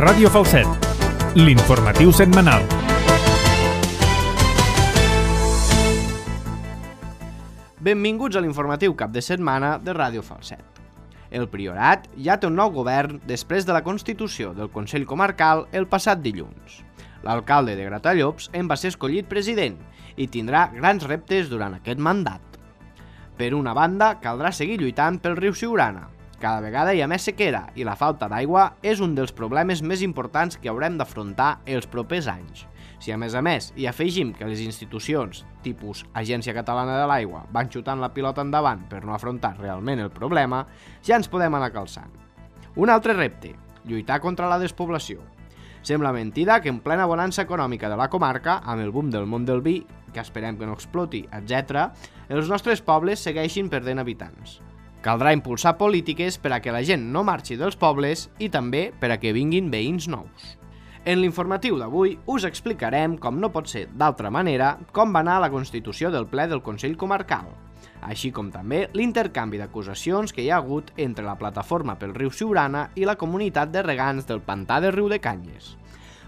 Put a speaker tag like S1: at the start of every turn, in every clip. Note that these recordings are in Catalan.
S1: Ràdio Falset, l'informatiu setmanal.
S2: Benvinguts a l'informatiu cap de setmana de Ràdio Falset. El Priorat ja té un nou govern després de la constitució del Consell Comarcal el passat dilluns. L'alcalde de Gratallops en va ser escollit president i tindrà grans reptes durant aquest mandat. Per una banda, caldrà seguir lluitant pel riu Siurana. Cada vegada hi ha més sequera i la falta d'aigua és un dels problemes més importants que haurem d'afrontar els propers anys. Si a més hi afegim que les institucions, tipus Agència Catalana de l'Aigua, van xutant la pilota endavant per no afrontar realment el problema, ja ens podem anar calçant. Un altre repte, lluitar contra la despoblació. Sembla mentida que en plena bonança econòmica de la comarca, amb el boom del món del vi, que esperem que no exploti, etc., els nostres pobles segueixin perdent habitants. Caldrà impulsar polítiques per a que la gent no marxi dels pobles i també per a que vinguin veïns nous. En l'informatiu d'avui us explicarem, com no pot ser d'altra manera, com va anar la constitució del ple del Consell Comarcal, així com també l'intercanvi d'acusacions que hi ha hagut entre la plataforma pel riu Siurana i la comunitat de regants del pantà de Riudecanyes.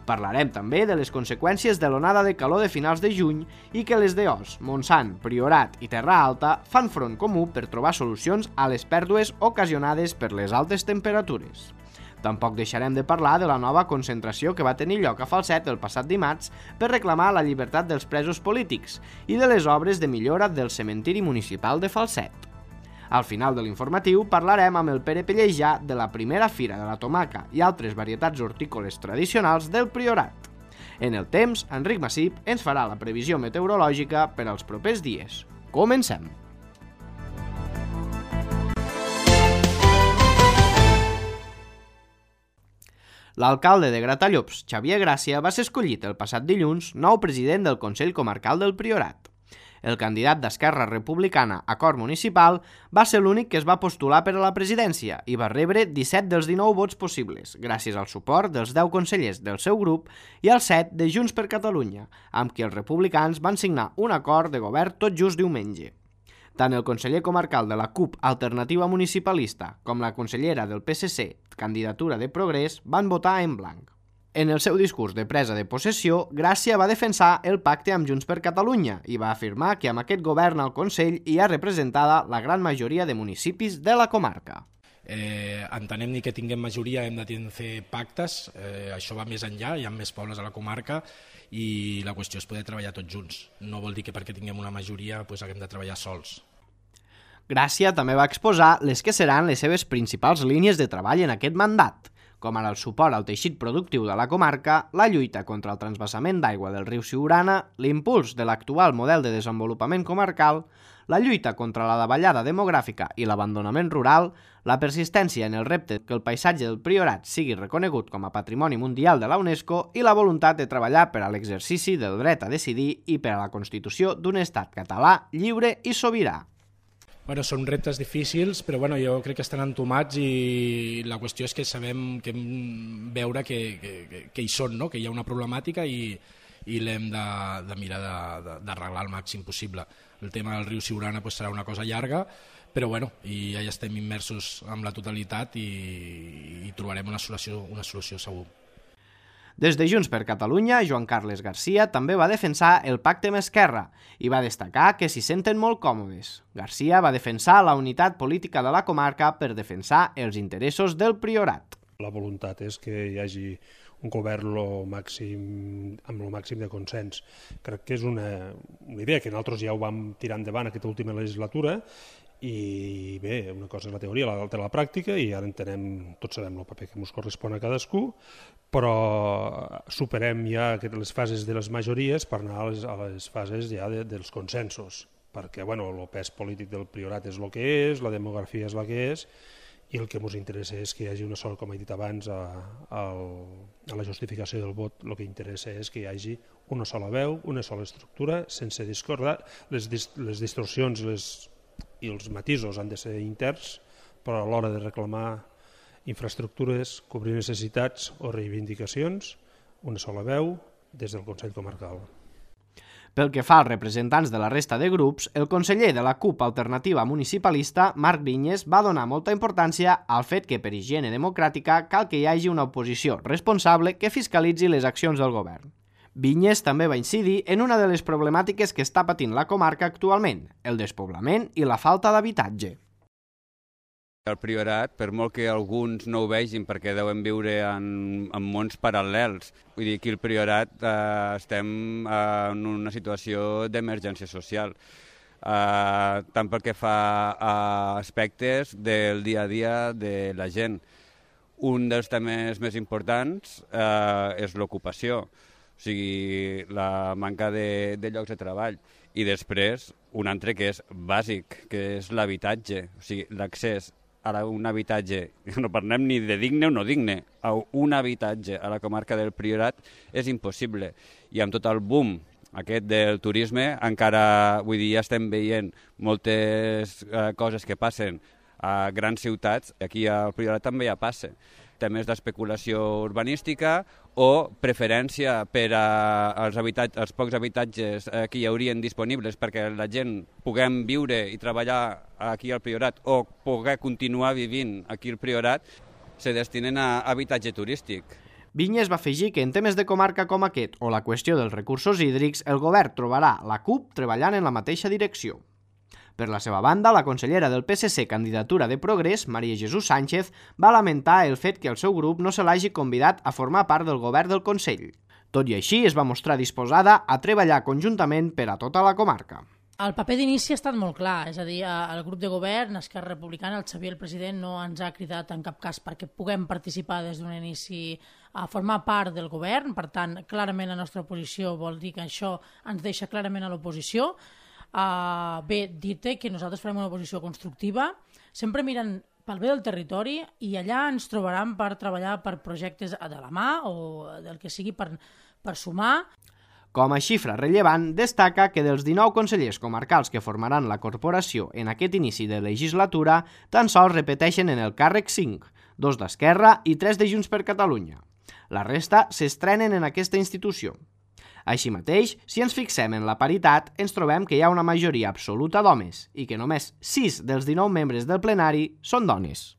S2: Parlarem també de les conseqüències de l'onada de calor de finals de juny i que les d'Os, Montsant, Priorat i Terra Alta fan front comú per trobar solucions a les pèrdues ocasionades per les altes temperatures. Tampoc deixarem de parlar de la nova concentració que va tenir lloc a Falset el passat dimarts per reclamar la llibertat dels presos polítics i de les obres de millora del cementiri municipal de Falset. Al final de l'informatiu parlarem amb el Pere Pellejà de la primera fira de la tomaca i altres varietats hortícoles tradicionals del Priorat. En el temps, Enric Massip ens farà la previsió meteorològica per als propers dies. Comencem! L'alcalde de Gratallops, Xavier Gràcia, va ser escollit el passat dilluns nou president del Consell Comarcal del Priorat. El candidat d'Esquerra Republicana a Cor Municipal va ser l'únic que es va postular per a la presidència i va rebre 17 dels 19 vots possibles, gràcies al suport dels 10 consellers del seu grup i als 7 de Junts per Catalunya, amb qui els republicans van signar un acord de govern tot just diumenge. Tant el conseller comarcal de la CUP Alternativa Municipalista com la consellera del PSC, Candidatura de Progrés, van votar en blanc. En el seu discurs de presa de possessió, Gràcia va defensar el pacte amb Junts per Catalunya i va afirmar que amb aquest govern al Consell hi ha representada la gran majoria de municipis de la comarca.
S3: Entenem ni que tinguem majoria hem de fer pactes, això va més enllà, hi ha més pobles a la comarca i la qüestió és poder treballar tots junts. No vol dir que perquè tinguem una majoria haguem de treballar sols.
S2: Gràcia també va exposar les que seran les seves principals línies de treball en aquest mandat, com ara el suport al teixit productiu de la comarca, la lluita contra el transvasament d'aigua del riu Siurana, l'impuls de l'actual model de desenvolupament comarcal, la lluita contra la davallada demogràfica i l'abandonament rural, la persistència en el repte que el paisatge del Priorat sigui reconegut com a Patrimoni Mundial de la UNESCO i la voluntat de treballar per a l'exercici del dret a decidir i per a la constitució d'un estat català lliure i sobirà.
S3: Són reptes difícils, però jo crec que estan entomats i la qüestió és que sabem que hem veure que hi són, que hi ha una problemàtica i l'hem de mirar d'arreglar al màxim possible. El tema del riu Siurana serà una cosa llarga, però ja estem immersos en la totalitat i trobarem una solució segur.
S2: Des de Junts per Catalunya, Joan Carles Garcia també va defensar el pacte amb Esquerra i va destacar que s'hi senten molt còmodes. Garcia va defensar la unitat política de la comarca per defensar els interessos del Priorat.
S4: La voluntat és que hi hagi un govern amb el màxim de consens. Crec que és una idea que nosaltres ja ho vam tirar endavant aquesta última legislatura i bé, una cosa és la teoria, l'altra la pràctica i ara tots sabem el paper que ens correspon a cadascú, però superem ja les fases de les majories per anar a les fases ja dels consensos, perquè el pes polític del Priorat és el que és, la demografia és la que és i el que ens interessa és que hi hagi una sola, com he dit abans, a la justificació del vot, el que interessa és que hi hagi una sola veu, una sola estructura, sense discordar, les distorsions i els matisos han de ser interns, però a l'hora de reclamar infraestructures, cobrir necessitats o reivindicacions, una sola veu des del Consell Comarcal.
S2: Pel que fa als representants de la resta de grups, el conseller de la CUP Alternativa Municipalista, Marc Vinyes, va donar molta importància al fet que per higiene democràtica cal que hi hagi una oposició responsable que fiscalitzi les accions del govern. Vinyes també va incidir en una de les problemàtiques que està patint la comarca actualment, el despoblament i la falta d'habitatge.
S5: El Priorat, per molt que alguns no ho vegin perquè deuen viure en mons paral·lels, vull dir que el Priorat estem en una situació d'emergència social, tant pel que fa a aspectes del dia a dia de la gent. Un dels temes més importants és l'ocupació, o sigui, la manca de llocs de treball. I després, un altre que és bàsic, que és l'habitatge, o sigui, l'accés a un habitatge, no parlem ni de digne o no digne, a un habitatge a la comarca del Priorat és impossible. I amb tot el boom aquest del turisme, encara, vull dir, ja estem veient moltes coses que passen a grans ciutats, aquí al Priorat també ja passa. Temes d'especulació urbanística o preferència per als pocs habitatges que hi haurien disponibles perquè la gent puguem viure i treballar aquí al Priorat o poder continuar vivint aquí al Priorat, se destinen a habitatge turístic.
S2: Vinyes va afegir que en temes de comarca com aquest o la qüestió dels recursos hídrics, el govern trobarà la CUP treballant en la mateixa direcció. Per la seva banda, la consellera del PSC Candidatura de Progrés, Maria Jesús Sánchez, va lamentar el fet que el seu grup no se l'hagi convidat a formar part del govern del Consell. Tot i així, es va mostrar disposada a treballar conjuntament per a tota la comarca.
S6: El paper d'inici ha estat molt clar, és a dir, el grup de govern, Esquerra Republicana, el Xavier, el president, no ens ha cridat en cap cas perquè puguem participar des d'un inici a formar part del govern, per tant, clarament la nostra posició vol dir que això ens deixa clarament a l'oposició. Bé, dir-te que nosaltres farem una oposició constructiva, sempre mirant pel bé del territori i allà ens trobaran per treballar per projectes de la mà o del que sigui per sumar.
S2: Com a xifra rellevant, destaca que dels 19 consellers comarcals que formaran la corporació en aquest inici de legislatura, tan sols repeteixen en el càrrec 5, 2 d'Esquerra i 3 de Junts per Catalunya. La resta s'estrenen en aquesta institució. Així mateix, si ens fixem en la paritat, ens trobem que hi ha una majoria absoluta d'homes i que només 6 dels 19 membres del plenari són dones.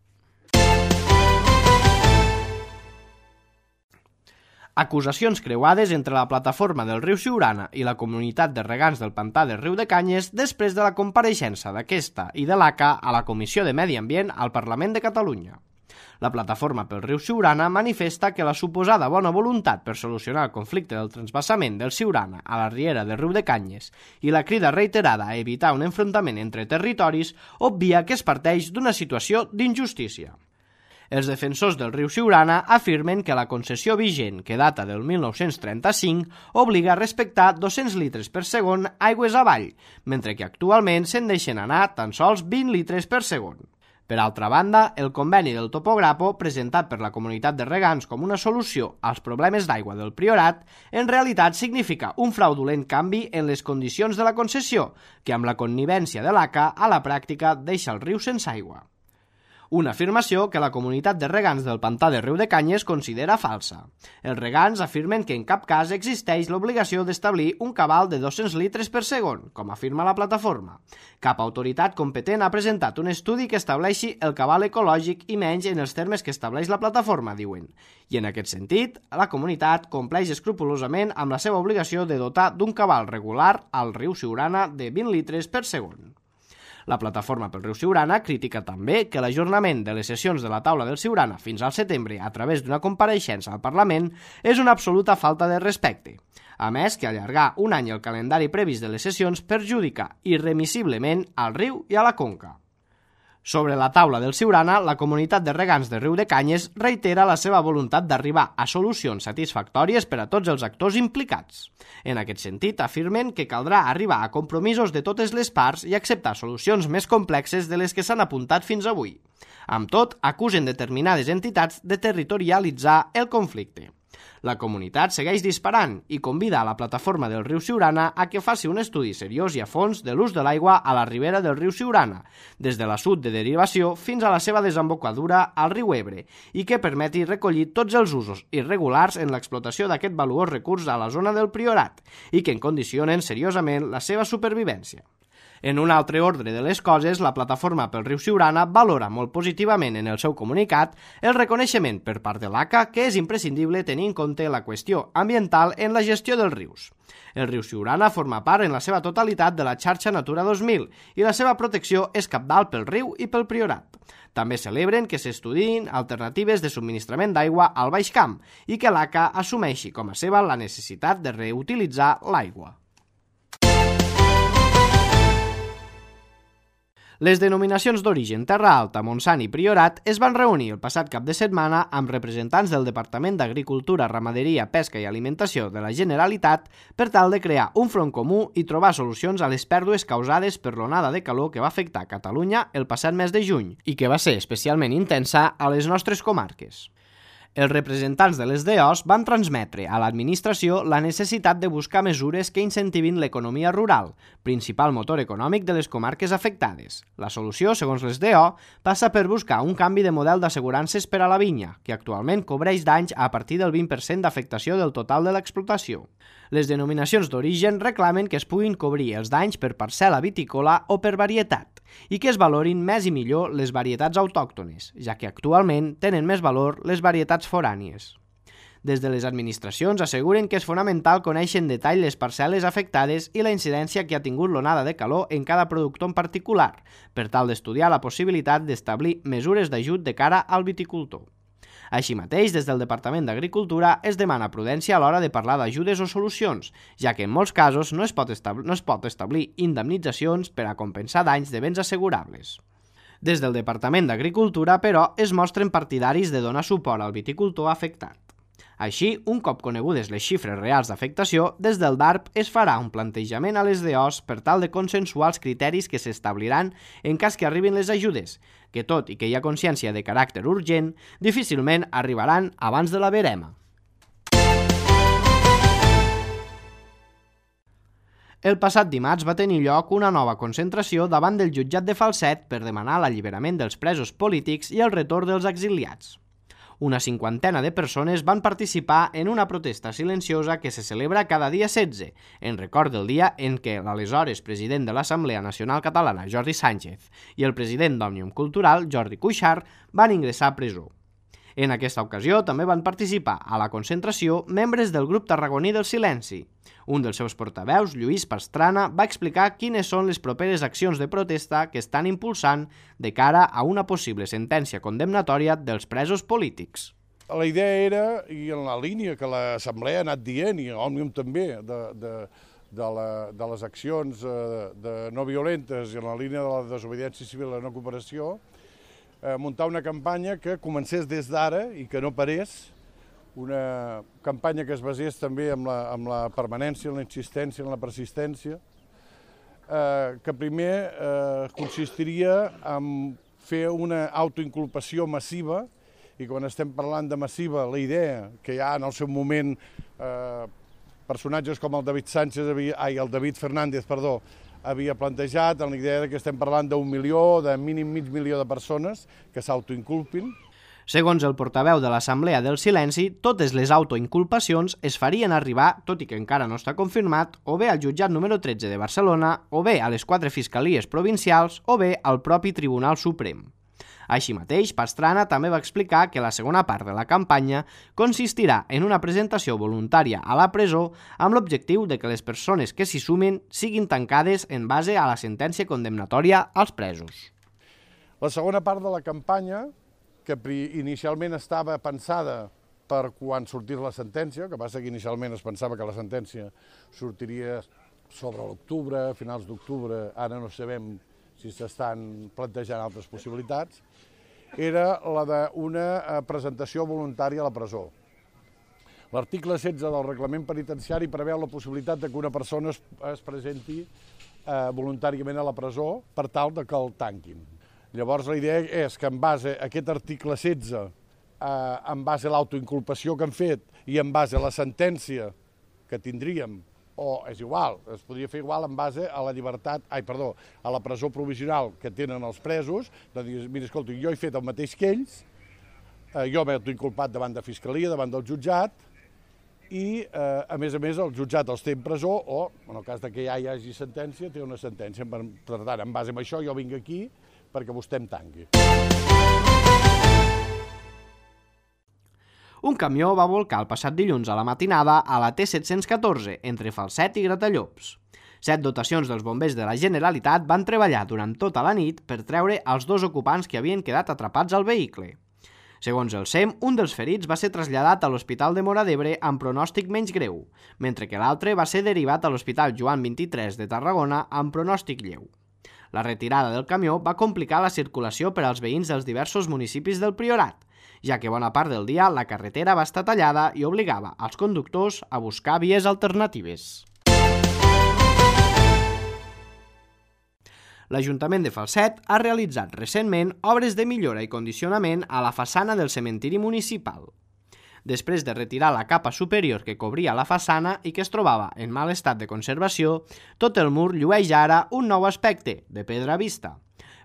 S2: Acusacions creuades entre la plataforma del riu Siurana i la comunitat de regants del pantà del riu de Canyes després de la compareixença d'aquesta i de l'ACA a la Comissió de Medi Ambient al Parlament de Catalunya. La plataforma pel riu Siurana manifesta que la suposada bona voluntat per solucionar el conflicte del transvasament del Siurana a la riera del riu de Canyes i la crida reiterada a evitar un enfrontament entre territoris obvia que es parteix d'una situació d'injustícia. Els defensors del riu Siurana afirmen que la concessió vigent, que data del 1935, obliga a respectar 200 litres per segon aigües avall, mentre que actualment se'n deixen anar tan sols 20 litres per segon. Per altra banda, el conveni del Topograpo, presentat per la comunitat de regants com una solució als problemes d'aigua del Priorat, en realitat significa un fraudulent canvi en les condicions de la concessió, que amb la connivència de l'ACA a la pràctica deixa el riu sense aigua. Una afirmació que la comunitat de regants del pantà de Riu de Canyes considera falsa. Els regants afirmen que en cap cas existeix l'obligació d'establir un cabal de 200 litres per segon, com afirma la plataforma. Cap autoritat competent ha presentat un estudi que estableixi el cabal ecològic i menys en els termes que estableix la plataforma, diuen. I en aquest sentit, la comunitat compleix escrupolosament amb la seva obligació de dotar d'un cabal regular al riu Siurana de 20 litres per segon. La plataforma pel riu Siurana critica també que l'ajornament de les sessions de la taula del Siurana fins al setembre a través d'una compareixença al Parlament és una absoluta falta de respecte. A més, que allargar un any el calendari previst de les sessions perjudica irremissiblement al riu i a la conca. Sobre la taula del Siurana, la comunitat de regants de Riu de Canyes reitera la seva voluntat d'arribar a solucions satisfactòries per a tots els actors implicats. En aquest sentit, afirmen que caldrà arribar a compromisos de totes les parts i acceptar solucions més complexes de les que s'han apuntat fins avui. Amb tot, acusen determinades entitats de territorialitzar el conflicte. La comunitat segueix disparant i convida a la plataforma del riu Siurana a que faci un estudi seriós i a fons de l'ús de l'aigua a la ribera del riu Siurana, des de l'assut de derivació fins a la seva desembocadura al riu Ebre, i que permeti recollir tots els usos irregulars en l'explotació d'aquest valuós recurs a la zona del Priorat i que en condicionen seriosament la seva supervivència. En un altre ordre de les coses, la plataforma pel riu Siurana valora molt positivament en el seu comunicat el reconeixement per part de l'ACA que és imprescindible tenir en compte la qüestió ambiental en la gestió dels rius. El riu Siurana forma part en la seva totalitat de la xarxa Natura 2000 i la seva protecció és cabdal pel riu i pel Priorat. També celebren que s'estudiïn alternatives de subministrament d'aigua al Baix Camp i que l'ACA assumeixi com a seva la necessitat de reutilitzar l'aigua. Les denominacions d'origen Terra Alta, Montsant i Priorat es van reunir el passat cap de setmana amb representants del Departament d'Agricultura, Ramaderia, Pesca i Alimentació de la Generalitat per tal de crear un front comú i trobar solucions a les pèrdues causades per l'onada de calor que va afectar Catalunya el passat mes de juny i que va ser especialment intensa a les nostres comarques. Els representants de les DOs van transmetre a l'administració la necessitat de buscar mesures que incentivin l'economia rural, principal motor econòmic de les comarques afectades. La solució, segons les DO, passa per buscar un canvi de model d'assegurances per a la vinya, que actualment cobreix danys a partir del 20% d'afectació del total de l'explotació. Les denominacions d'origen reclamen que es puguin cobrir els danys per parcel·la vitícola o per varietat, i que es valorin més i millor les varietats autòctones, ja que actualment tenen més valor les varietats forànies. Des de les administracions asseguren que és fonamental conèixer en detall les parcel·les afectades i la incidència que ha tingut l'onada de calor en cada productor en particular, per tal d'estudiar la possibilitat d'establir mesures d'ajut de cara al viticultor. Així mateix, des del Departament d'Agricultura es demana prudència a l'hora de parlar d'ajudes o solucions, ja que en molts casos no es pot establir indemnitzacions per a compensar danys de béns assegurables. Des del Departament d'Agricultura, però, es mostren partidaris de donar suport al viticultor afectat. Així, un cop conegudes les xifres reals d'afectació, des del DARP es farà un plantejament a les DOs per tal de consensuar els criteris que s'establiran en cas que arribin les ajudes, que tot i que hi ha consciència de caràcter urgent, difícilment arribaran abans de la verema. El passat dimarts va tenir lloc una nova concentració davant del jutjat de Falset per demanar l'alliberament dels presos polítics i el retorn dels exiliats. Una cinquantena de persones van participar en una protesta silenciosa que se celebra cada dia 16, en record del dia en què l'aleshores president de l'Assemblea Nacional Catalana, Jordi Sánchez, i el president d'Òmnium Cultural, Jordi Cuixart, van ingressar a presó. En aquesta ocasió també van participar a la concentració membres del grup tarragoní del Silenci. Un dels seus portaveus, Lluís Pastrana, va explicar quines són les properes accions de protesta que estan impulsant de cara a una possible sentència condemnatòria dels presos polítics.
S7: La idea era, i en la línia que l'Assemblea ha anat dient, i Òmnium també, de les accions no violentes i en la línia de la desobediència civil i la no cooperació, muntar una campanya que comencés des d'ara i que no parés, una campanya que es basés també en la permanència, en la insistència, en la persistència, que primer consistiria en fer una autoinculpació massiva, i quan estem parlant de massiva, la idea que hi ha en el seu moment personatges com el David Fernández, havia plantejat en la idea que estem parlant d'1 milió, de mínim mig milió de persones que s'autoinculpin.
S2: Segons el portaveu de l'Assemblea del Silenci, totes les autoinculpacions es farien arribar, tot i que encara no està confirmat, o bé al jutjat número 13 de Barcelona, o bé a les 4 fiscalies provincials, o bé al propi Tribunal Suprem. Així mateix, Pastrana també va explicar que la segona part de la campanya consistirà en una presentació voluntària a la presó amb l'objectiu de que les persones que s'hi sumin siguin tancades en base a la sentència condemnatòria als presos.
S7: La segona part de la campanya, que inicialment estava pensada per quan sortís la sentència, que passa que inicialment es pensava que la sentència sortiria sobre l'octubre, a finals d'octubre, ara no sabem si s'estan plantejant altres possibilitats, era la d'una presentació voluntària a la presó. L'article 16 del reglament penitenciari preveu la possibilitat que una persona es presenti voluntàriament a la presó per tal que el tanquin. Llavors la idea és que en base a aquest article 16 en base a l'autoinculpació que han fet i en base a la sentència que tindríem, o és igual, es podria fer igual en base a la llibertat, a la presó provisional que tenen els presos, de dir, mira, escolta, jo he fet el mateix que ells, jo m'he autoinculpat davant de Fiscalia, davant del jutjat, i, a més, el jutjat els té en presó o, en el cas que ja hi hagi sentència, té una sentència. Per tant, en base a això, jo vinc aquí perquè vostè em tanqui.
S2: Un camió va volcar el passat dilluns a la matinada a la T714 entre Falset i Gratallops. 7 dotacions dels bombers de la Generalitat van treballar durant tota la nit per treure els 2 ocupants que havien quedat atrapats al vehicle. Segons el SEM, un dels ferits va ser traslladat a l'Hospital de Móra d'Ebre amb pronòstic menys greu, mentre que l'altre va ser derivat a l'Hospital Joan 23 de Tarragona amb pronòstic lleu. La retirada del camió va complicar la circulació per als veïns dels diversos municipis del Priorat, ja que bona part del dia la carretera va estar tallada i obligava als conductors a buscar vies alternatives. L'Ajuntament de Falset ha realitzat recentment obres de millora i condicionament a la façana del cementiri municipal. Després de retirar la capa superior que cobria la façana i que es trobava en mal estat de conservació, tot el mur llueix ara un nou aspecte, de pedra vista.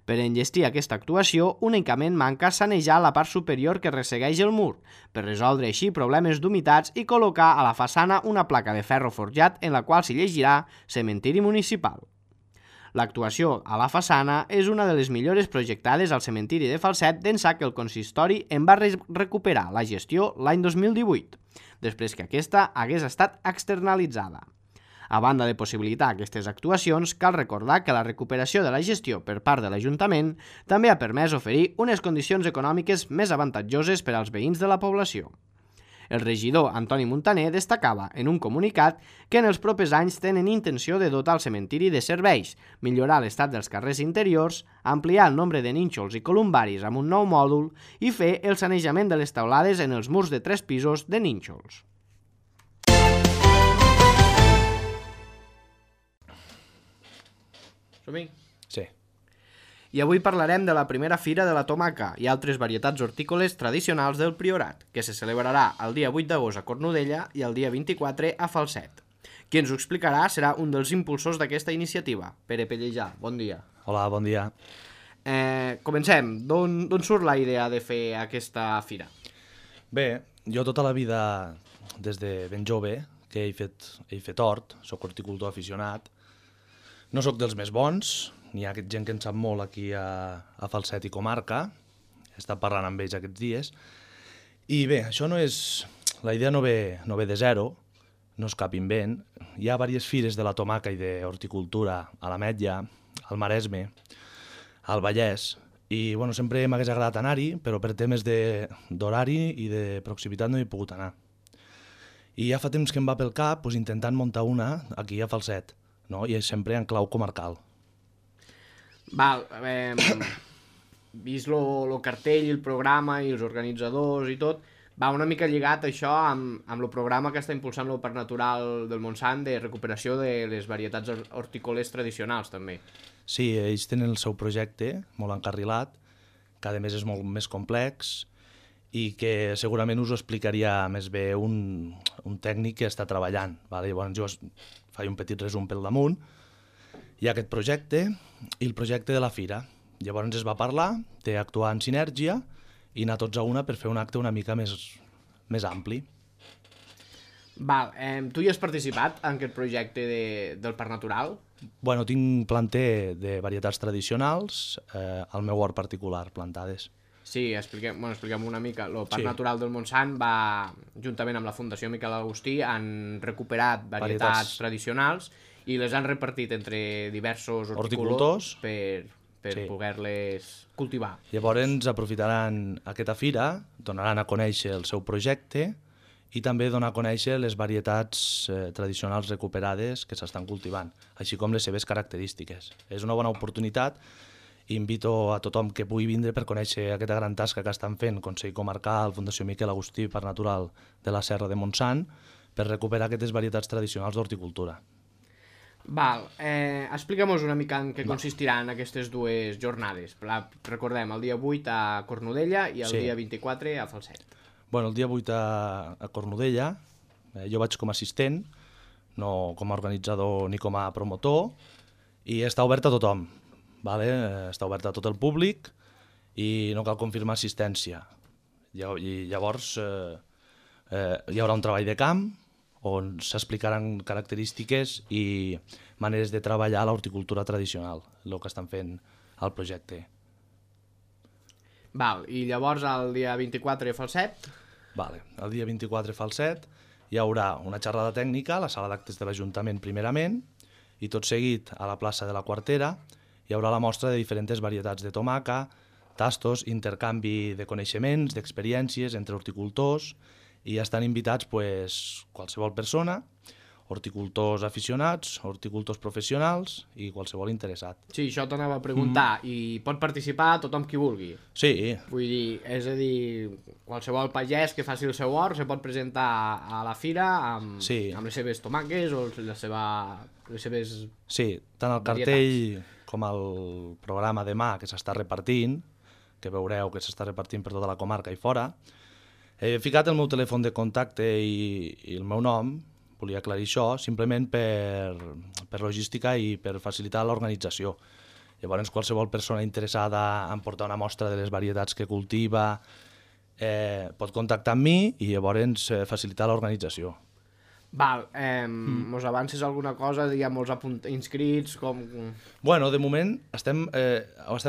S2: Per enllestir aquesta actuació, únicament manca sanejar la part superior que ressegueix el mur, per resoldre així problemes d'humitats i col·locar a la façana una placa de ferro forjat en la qual s'hi llegirà Cementiri Municipal. L'actuació a la façana és una de les millores projectades al cementiri de Falset d'ençà que el consistori en va recuperar la gestió l'any 2018, després que aquesta hagués estat externalitzada. A banda de possibilitar aquestes actuacions, cal recordar que la recuperació de la gestió per part de l'Ajuntament també ha permès oferir unes condicions econòmiques més avantatjoses per als veïns de la població. El regidor Antoni Montaner destacava en un comunicat que en els propers anys tenen intenció de dotar el cementiri de serveis, millorar l'estat dels carrers interiors, ampliar el nombre de nínxols i columbaris amb un nou mòdul i fer el sanejament de les teulades en els murs de 3 pisos de nínxols. Som-hi?
S3: Sí.
S2: I avui parlarem de la primera fira de la tomaca i altres varietats hortícoles tradicionals del Priorat, que se celebrarà el dia 8 d'agost a Cornudella i el dia 24 a Falset. Qui ens ho explicarà serà un dels impulsors d'aquesta iniciativa, Pere Pellejà. Bon dia.
S8: Hola, bon dia.
S2: Comencem. D'on surt la idea de fer aquesta fira?
S8: Bé, jo tota la vida, des de ben jove, que he fet hort, soc horticultor aficionat. No sóc dels més bons, n'hi ha gent que en sap molt aquí a Falset i comarca, he estat parlant amb ells aquests dies, i bé, això no és... La idea no ve de zero, no és cap invent. Hi ha diverses fires de la tomaca i d'horticultura a l'Ametlla, al Maresme, al Vallès, i bueno, sempre m'hagués agradat anar-hi, però per temes d'horari i de proximitat no hi he pogut anar. I ja fa temps que em va pel cap intentant muntar una aquí a Falset, no? I sempre en clau comarcal.
S2: Val, vist el cartell, el programa i els organitzadors i tot, va una mica lligat això amb el programa que està impulsant el Parc Natural del Montsant de recuperació de les varietats hortícoles tradicionals, també.
S8: Sí, ells tenen el seu projecte molt encarrilat, que a més és molt més complex i que segurament us ho explicaria més bé un tècnic que està treballant. Llavors jo faig un petit resum pel damunt. Hi ha aquest projecte i el projecte de la fira. Llavors es va parlar d'actuar en sinergia i anar tots a una per fer un acte una mica més ampli.
S2: Val, tu hi has participat en aquest projecte del Parc Natural?
S8: Bueno, tinc planter de varietats tradicionals al meu hort particular, plantades.
S2: Sí, expliquem una mica. El Parc Natural del Montsant va, juntament amb la Fundació Miquel Agustí, han recuperat varietats tradicionals i les han repartit entre diversos horticultors per poder-les cultivar.
S8: Llavors aprofitaran aquesta fira, donaran a conèixer el seu projecte i també donar a conèixer les varietats tradicionals recuperades que s'estan cultivant, així com les seves característiques. És una bona oportunitat i invito a tothom que pugui vindre per conèixer aquesta gran tasca que estan fent Consell Comarcal, Fundació Miquel Agustí, Parc Natural de la Serra de Montsant, per recuperar aquestes varietats tradicionals d'horticultura.
S2: Val, explica'm una mica en què consistiran aquestes dues jornades. Recordem, el dia 8 a Cornudella i el dia 24 a Falset.
S8: Bueno, el dia 8 a Cornudella, jo vaig com a assistent, no com a organitzador ni com a promotor, i està obert a tothom, vale? Està obert a tot el públic i no cal confirmar assistència. I llavors hi haurà un treball de camp on s'explicaran característiques i maneres de treballar l'horticultura tradicional, el que estan fent al projecte.
S2: Val, i llavors el dia 24 a Falset?
S8: Vale. El dia 24 a Falset hi haurà una xerrada tècnica a la sala d'actes de l'Ajuntament primerament i tot seguit a la plaça de la Quartera hi haurà la mostra de diferents varietats de tomaca, tastos, intercanvi de coneixements, d'experiències entre horticultors i estan invitats qualsevol persona, horticultors aficionats, horticultors professionals i qualsevol interessat.
S2: Sí, això t'anava a preguntar. I pot participar tothom qui vulgui?
S8: Sí.
S2: Vull dir, és a dir, qualsevol pagès que faci el seu hort se pot presentar a la fira amb les seves tomaques o les seves...
S8: Sí, tant el cartell com el programa demà que s'està repartint, que veureu que s'està repartint per tota la comarca i fora, he ficat el meu telèfon de contacte i el meu nom, volia aclarir això, simplement per logística i per facilitar l'organització. Llavors, qualsevol persona interessada en portar una mostra de les varietats que cultiva pot contactar amb mi i llavors facilitar l'organització.
S2: Val, mos avances alguna cosa, hi ha molts inscrits, com...
S8: Bueno, de moment estem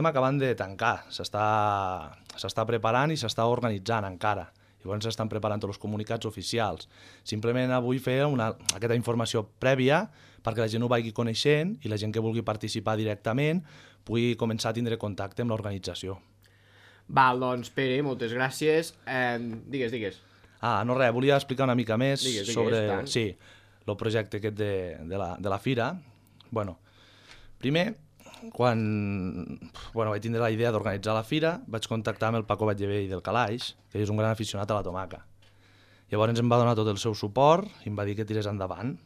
S8: acabant de tancar, s'està preparant i s'està organitzant encara. Llavors s'estan preparant tots els comunicats oficials. Simplement avui fer aquesta informació prèvia perquè la gent ho vagi coneixent i la gent que vulgui participar directament pugui començar a tindre contacte amb l'organització.
S2: Val, doncs Pere, moltes gràcies. Digues.
S8: No res, volia explicar una mica més sobre el projecte aquest de la fira. Bueno, primer, quan vaig tindre la idea d'organitzar la fira, vaig contactar amb el Paco Batllevell del Calaix, que és un gran aficionat a la tomaca. Llavors em va donar tot el seu suport i em va dir que tirés endavant.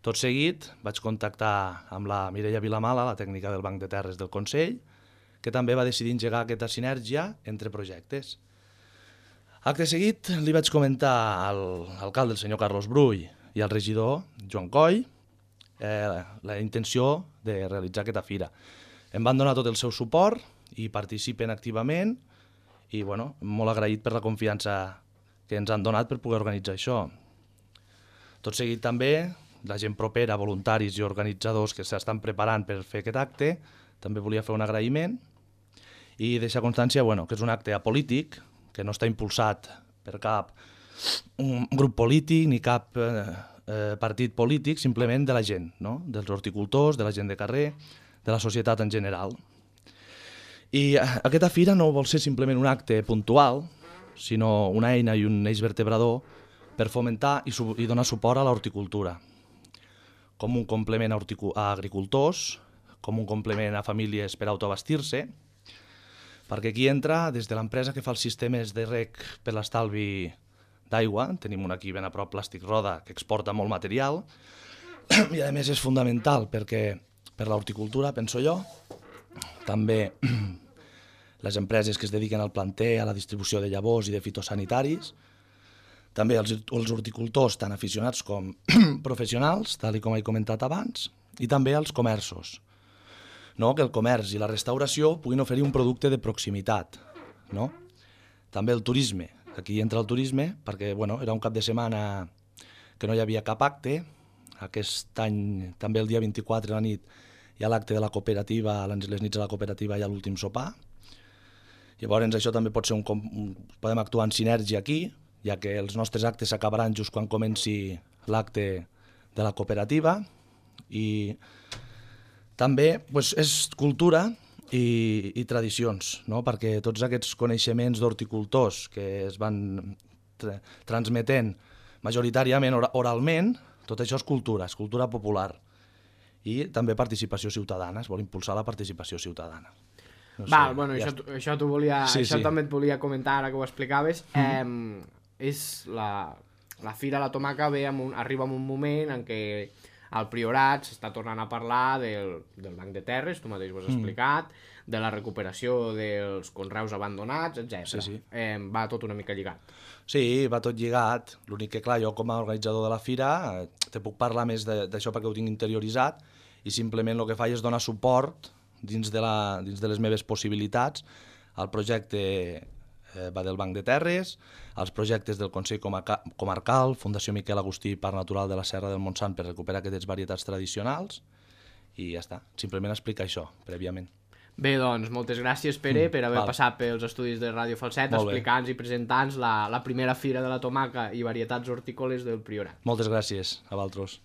S8: Tot seguit vaig contactar amb la Mireia Vilamala, la tècnica del Banc de Terres del Consell, que també va decidir engegar aquesta sinergia entre projectes. Acte seguit li vaig comentar a l'alcalde, el senyor Carlos Brull, i al regidor, Joan Coll, la intenció de realitzar aquesta fira. Em van donar tot el seu suport i participen activament i molt agraït per la confiança que ens han donat per poder organitzar això. Tot seguit també, la gent propera, voluntaris i organitzadors que s'estan preparant per fer aquest acte, també volia fer un agraïment i deixar constància que és un acte apolític, que no està impulsat per cap grup polític ni cap partit polític, simplement de la gent, no? Dels horticultors, de la gent de carrer, de la societat en general. I aquesta fira no vol ser simplement un acte puntual, sinó una eina i un eix vertebrador per fomentar i donar suport a l'horticultura, com un complement a agricultors, com un complement a famílies per autoabastir-se, perquè aquí entra des de l'empresa que fa els sistemes de reg per l'estalvi d'aigua, tenim un aquí ben a prop, Plàstic Roda, que exporta molt material, i a més és fundamental perquè per l'horticultura, penso jo, també les empreses que es dediquen al planter, a la distribució de llavors i de fitosanitaris, també els horticultors tan aficionats com professionals, tal com he comentat abans, i també els comerços. Que el comerç i la restauració puguin oferir un producte de proximitat. També el turisme. Aquí entra el turisme perquè era un cap de setmana que no hi havia cap acte. Aquest any, també el dia 24 a la nit, hi ha l'acte de la cooperativa, les nits de la cooperativa hi ha l'últim sopar. Llavors això també pot ser podem actuar en sinergia aquí, ja que els nostres actes s'acabaran just quan comenci l'acte de la cooperativa i també és cultura i tradicions, perquè tots aquests coneixements d'horticultors que es van transmetent majoritàriament oralment, tot això és cultura popular. I també participació ciutadana, es vol impulsar la participació ciutadana.
S2: Això també et volia comentar ara que ho explicaves. La Fira la Tomaca arriba en un moment en què Al Priorat s'està tornant a parlar del Banc de Terres, tu mateix ho has explicat, de la recuperació dels conreus abandonats, etc.
S8: Sí.
S2: Va tot una mica lligat.
S8: Sí, va tot lligat. L'únic que, clar, jo com a organitzador de la fira te puc parlar més d'això perquè ho tinc interioritzat i simplement el que faig és donar suport dins de les meves possibilitats al projecte va del Banc de Terres, als projectes del Consell Comarcal, Fundació Miquel Agustí Parc Natural de la Serra del Montsant per recuperar aquestes varietats tradicionals i ja està, simplement explicar això prèviament.
S2: Bé, doncs, moltes gràcies, Pere, per haver passat pels estudis de Ràdio Falset, explicant-nos i presentant la primera fira de la tomaca i varietats hortícoles del Priorat.
S8: Moltes gràcies a vosaltres.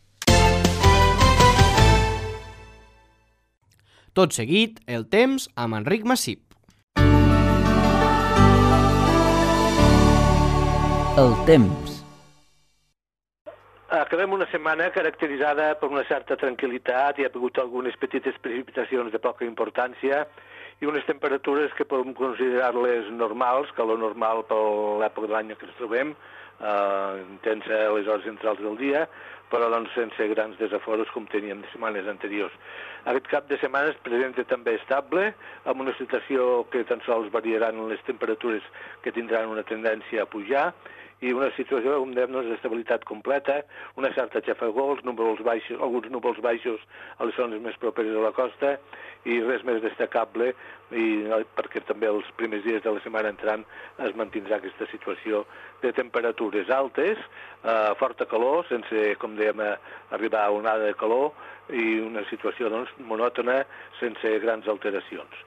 S2: Tot seguit, el temps amb Enric Massip.
S9: El temps.
S10: Acabem una setmana caracteritzada per una certa tranquil·litat, hi ha hagut algunes petites precipitacions de poca importància i unes temperatures que podem considerar-les normals, calor normal per l'època de l'any que ens trobem, intensa a les hores centrals del dia, però doncs sense grans desaforos com teníem de setmanes anteriors. Aquest cap de setmana es presenta també estable, amb una situació que tan sols variaran les temperatures que tindran una tendència a pujar, i una situació, com dèiem, d'estabilitat completa, una certa xafogor, alguns núvols baixos a les zones més properes a la costa, i res més destacable, perquè també els primers dies de la setmana entrant es mantindrà aquesta situació de temperatures altes, forta calor, sense, com dèiem, arribar a onada de calor, i una situació doncs, monòtona, sense grans alteracions.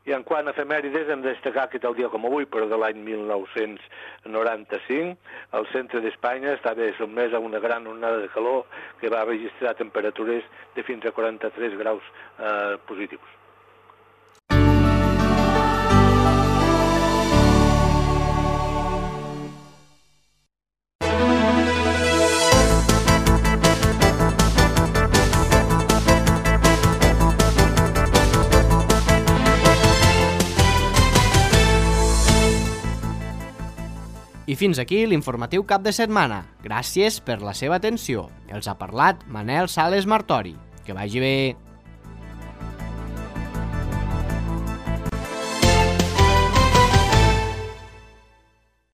S10: I en quant a efemèrides, hem de destacar que tal dia com avui, però de l'any 1995, el centre d'Espanya estava sotmès a una gran onada de calor que va registrar temperatures de fins a 43 graus positius.
S2: I fins aquí l'informatiu cap de setmana. Gràcies per la seva atenció. Els ha parlat Manel Sales Martori. Que vagi bé.